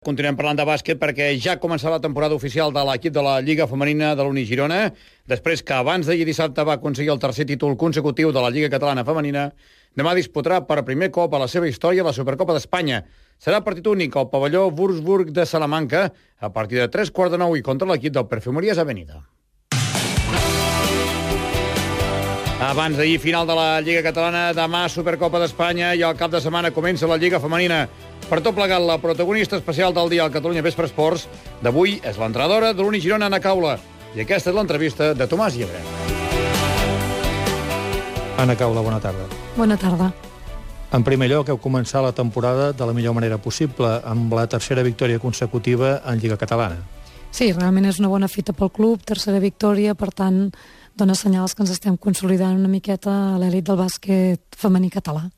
Continuem parlant de bàsquet perquè ja ha començat la temporada oficial de l'equip de la Lliga Femenina de l'Uni Girona. Després que abans d'ahir dissabte va aconseguir el tercer títol consecutiu de la Lliga Catalana Femenina, demà disputarà per primer cop a la seva història la Supercopa d'Espanya. Serà partit únic al pavelló Würzburg de Salamanca a partir de 3:45 i contra l'equip del Perfumeries Avenida. Abans d'ahir, final de la Lliga Catalana, demà Supercopa d'Espanya i al cap de setmana comença la Lliga Femenina. Per tot plegat, la protagonista especial del dia al Catalunya Vespre Esports d'avui és l'entrenadora de l'Uni Girona, Anna Caula. I aquesta és l'entrevista de Tomàs Llebre. Anna Caula, bona tarda. Bona tarda. En primer lloc, heu començat la temporada de la millor manera possible, amb la tercera victòria consecutiva en Lliga Catalana. Sí, realment és una bona fita pel club, tercera victòria, per tant, dona senyals que ens estem consolidant una miqueta a l'elit del bàsquet femení català.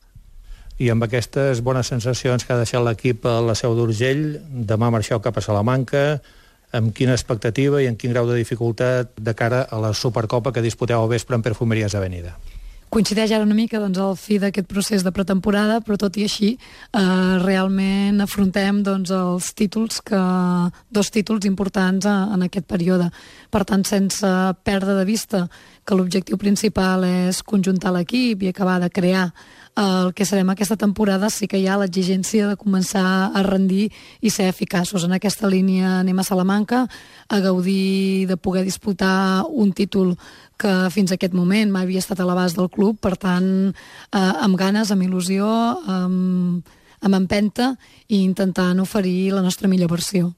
I amb aquestes bones sensacions que ha deixat l'equip a la Seu d'Urgell, demà marxeu cap a Salamanca, amb quina expectativa i en quin grau de dificultat de cara a la Supercopa que disputeu al vespre en Perfumeries Avenida? Coincideix ara una mica al fi d'aquest procés de pretemporada, però tot i així realment afrontem els títols, dos títols importants en aquest període. Per tant, sense perdre de vista que l'objectiu principal és conjuntar l'equip i acabar de crear el que serem aquesta temporada, sí que hi ha l'exigència de començar a rendir i ser eficaços. En aquesta línia anem a Salamanca a gaudir de poder disputar un títol que fins a aquest moment mai havia estat a l'abast del club, per tant, amb ganes, amb il·lusió, amb empenta i intentant oferir la nostra millor versió.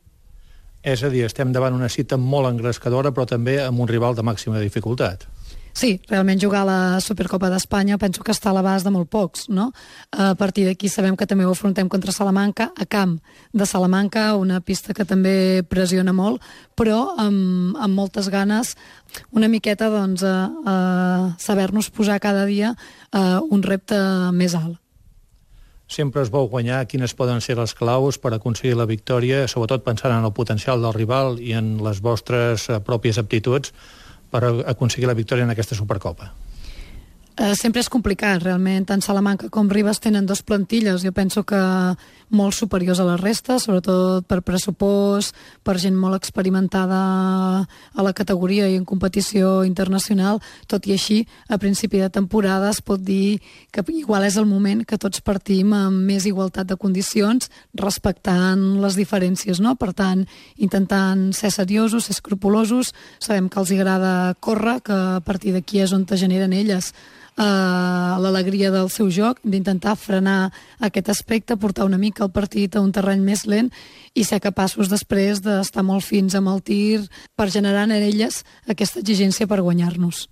És a dir, estem davant una cita molt engrescadora, però també amb un rival de màxima dificultat. Sí, realment jugar a la Supercopa d'Espanya penso que està a l'abast de molt pocs, no? A partir d'aquí sabem que també ho afrontem contra Salamanca, a camp de Salamanca, una pista que també pressiona molt, però amb moltes ganes, una miqueta a saber-nos posar cada dia un repte més alt. Sempre es vau guanyar. Quines poden ser les claus per aconseguir la victòria, sobretot pensant en el potencial del rival i en les vostres pròpies aptituds per aconseguir la victòria en aquesta Supercopa? Sempre és complicat, realment. Tant Salamanca com Ribes tenen dos plantilles, jo penso que molt superiors a la resta, sobretot per pressupost, per gent molt experimentada a la categoria i en competició internacional. Tot i així, a principi de temporada es pot dir que igual és el moment que tots partim amb més igualtat de condicions, respectant les diferències, no? Per tant, intentant ser seriosos, ser escrupulosos, sabem que els agrada córrer, que a partir d'aquí és on te generen elles l'alegria del seu joc, d'intentar frenar aquest aspecte, portar una mica el partit a un terreny més lent i ser capaços després d'estar molt fins amb el tir per generar en elles aquesta exigència per guanyar-nos.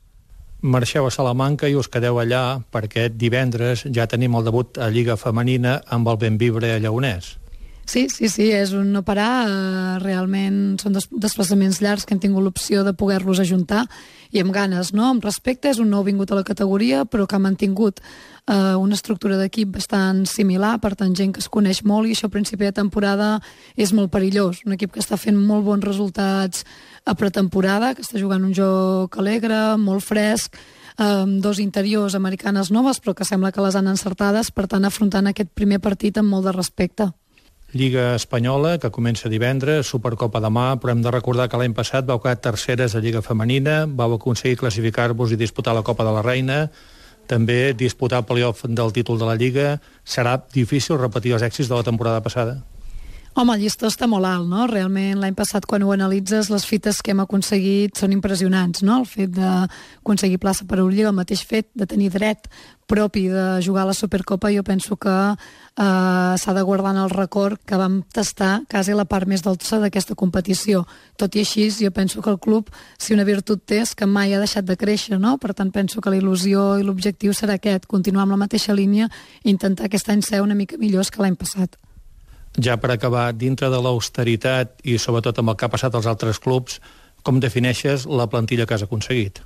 Marxeu a Salamanca i us quedeu allà perquè divendres ja tenim el debut a Lliga Femenina amb el Bembibre Lleonès. Sí, és un no parar, realment són desplaçaments llargs que hem tingut l'opció de poder-los ajuntar i amb ganes, no? Amb respecte, és un nou vingut a la categoria, però que ha mantingut una estructura d'equip bastant similar, per tant gent que es coneix molt, i això a principi de temporada és molt perillós. Un equip que està fent molt bons resultats a pretemporada, que està jugant un joc alegre, molt fresc, dos interiors americanes noves, però que sembla que les han encertades, per tant afrontant aquest primer partit amb molt de respecte. Lliga Espanyola, que comença divendres, Supercopa demà, però hem de recordar que l'any passat vau quedar terceres a Lliga Femenina, vau aconseguir classificar-vos i disputar la Copa de la Reina, també disputar el play-off del títol de la Lliga. Serà difícil repetir els èxits de la temporada passada? Home, el llistó està molt alt, no? Realment, l'any passat, quan ho analitzes, les fites que hem aconseguit són impressionants, no? El fet d'aconseguir plaça per Eurolliga, el mateix fet de tenir dret propi de jugar a la Supercopa, jo penso que s'ha de guardar en el record que vam tastar quasi la part més dolça d'aquesta competició. Tot i així, jo penso que el club, si una virtut té, és que mai ha deixat de créixer, no? Per tant, penso que la il·lusió i l'objectiu serà aquest, continuar amb la mateixa línia i intentar aquest any ser una mica millors que l'any passat. Ja per acabar, dintre de l'austeritat i sobretot amb el que ha passat als altres clubs, com defineixes la plantilla que has aconseguit?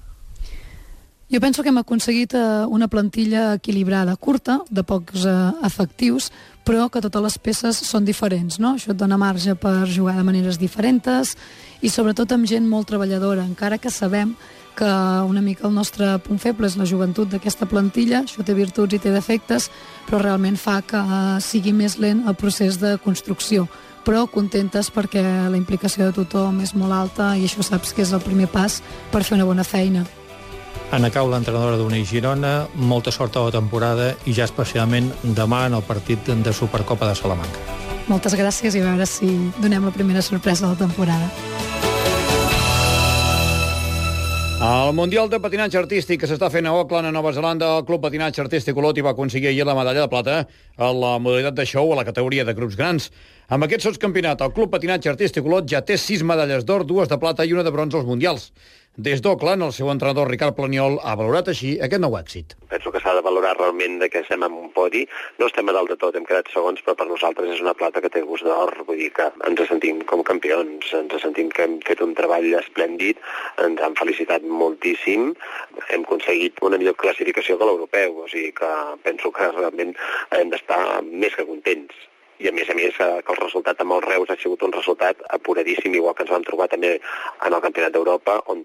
Jo penso que hem aconseguit una plantilla equilibrada, curta, de pocs efectius, però que totes les peces són diferents, no? Això et dona marge per jugar de maneres diferents i sobretot amb gent molt treballadora, encara que sabem que una mica el nostre punt feble és la joventut d'aquesta plantilla, això té virtuts i té defectes, però realment fa que sigui més lent el procés de construcció. però contentes perquè la implicació de tothom és molt alta i això saps que és el primer pas per fer una bona feina. Anna Cau, l'entrenadora d'Uneix Girona, molta sort a la temporada i ja especialment demà en el partit de Supercopa de Salamanca. Moltes gràcies i a veure si donem la primera sorpresa de la temporada. El Mundial de Patinatge Artístic que s'està fent a Auckland, a Nova Zelanda, el Club Patinatge Artístic Olot hi va aconseguir ahir la medalla de plata a la modalitat de show a la categoria de grups grans. Amb aquest sotscampionat, el Club Patinatge Artístic Olot ja té 6 medalles d'or, 2 de plata i 1 de bronze als Mundials. Des d'Auckland, el seu entrenador Ricard Planiol ha valorat així aquest nou èxit. Penso que s'ha de valorar realment que estem en un podi. No estem a dalt de tot, hem quedat segons, però per nosaltres és una plata que té gust d'or. Vull dir que ens sentim com campions, ens sentim que hem fet un treball esplèndid, ens han felicitat moltíssim, hem aconseguit una millor classificació que l'europeu, o sigui que penso que realment hem d'estar més que contents. I a més, que el resultat amb els Reus ha sigut un resultat apuradíssim, igual que ens vam trobar també en el Campionat d'Europa, on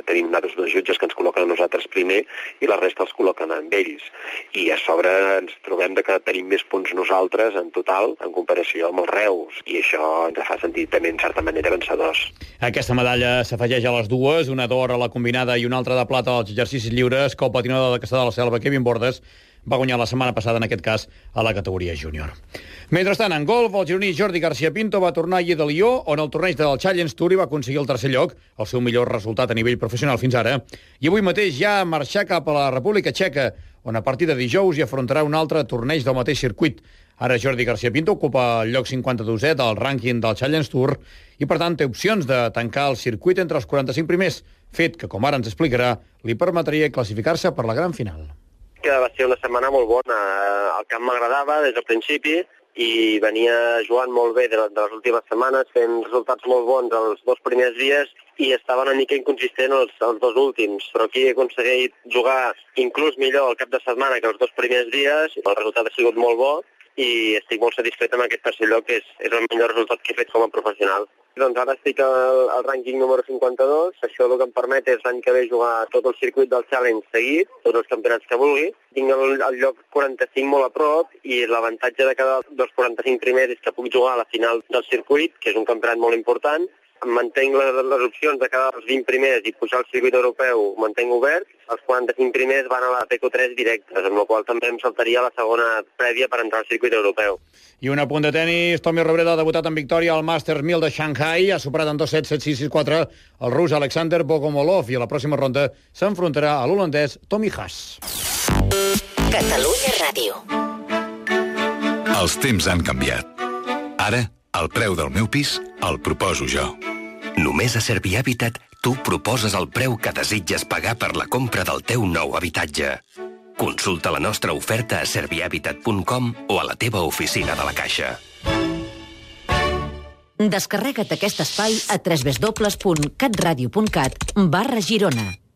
tenim nosaltres 2 jutges que ens col·loquen a nosaltres primer i la resta els col·loquen amb ells. I a sobre ens trobem que tenim més punts nosaltres en total en comparació amb els Reus, i això ens fa sentir també en certa manera vencedors. Aquesta medalla s'afegeix a les dues, una d'or a la combinada i una altra de plata als exercicis lliures, que el patinador de Castellar de la Selva, Kevin Bordes, va guanyar la setmana passada, en aquest cas, a la categoria júnior. Mentrestant, en golf, el gironí Jordi García Pinto va tornar ahir de Lió, on el torneig del Challenge Tour hi va aconseguir el 3è lloc, el seu millor resultat a nivell professional fins ara, i avui mateix ja marxar cap a la República Txeca, on a partir de dijous hi afrontarà un altre torneig del mateix circuit. Ara Jordi García Pinto ocupa el lloc 52è del rànquing del Challenge Tour i, per tant, té opcions de tancar el circuit entre els 45 primers, fet que, com ara ens explicarà, li permetria classificar-se per la gran final. Que va ser una setmana molt bona. El camp m'agradava des del principi i venia jugant molt bé de les últimes setmanes, fent resultats molt bons els 2 primers dies i estava una mica inconsistent els 2 últims, però aquí he aconseguit jugar inclús millor el cap de setmana que els 2 primers dies, el resultat ha sigut molt bo i estic molt satisfet amb aquest 3è lloc, que és el millor resultat que he fet com a professional. Doncs ara estic al rànquing número 52, això el que em permet és l'any que ve jugar tot el circuit del Challenge seguit, tots els campionats que vulgui. Tinc el lloc 45 molt a prop i l'avantatge de cada dels 45 primers és que puc jugar a la final del circuit, que és un campionat molt important. Mantenc les opcions de cada dels 20 primers i pujar al circuit europeu, mantenc obert. Els 45 primers van a la PQ3 directes, amb la qual també em saltaria la segona prèvia per entrar al circuit europeu. I un apunt de tenis, Tommy Robredo ha debutat en victòria al Masters 1000 de Shanghai, ha superat en 2-7, 7-6, 6-4 el rus Alexander Bogomolov i a la pròxima ronda s'enfrontarà a l'holandès Tommy Haas. Catalunya Ràdio. Els temps han canviat. Ara, el preu del meu pis el proposo jo. Només a Servihabitat tu proposes el preu que desitges pagar per la compra del teu nou habitatge. Consulta la nostra oferta a servihabitat.com o a la teva oficina de la Caixa. Descarrega't aquest espai a www.catradio.cat/Girona.